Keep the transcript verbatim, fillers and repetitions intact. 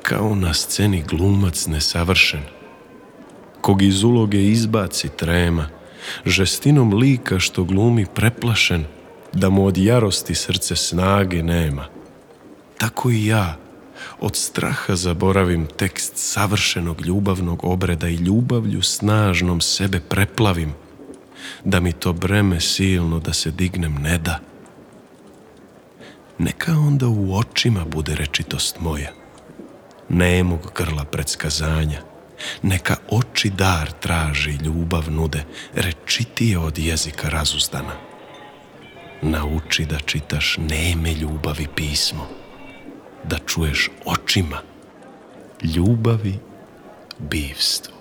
kao na sceni glumac nesavršen, kog iz uloge izbaci trema, žestinom lika što glumi preplašen, da mu od jarosti srce snage nema. Tako i ja od straha zaboravim tekst savršenog ljubavnog obreda i ljubavlju snažnom sebe preplavim, da mi to breme silno da se dignem ne da. Neka onda u očima bude rečitost moja, nemog grla predskazanja, neka oči dar traži, ljubav nude, rečitije od jezika razuzdana. Nauči da čitaš neme ljubavi pismo, da čuješ očima ljubavi bivstvo.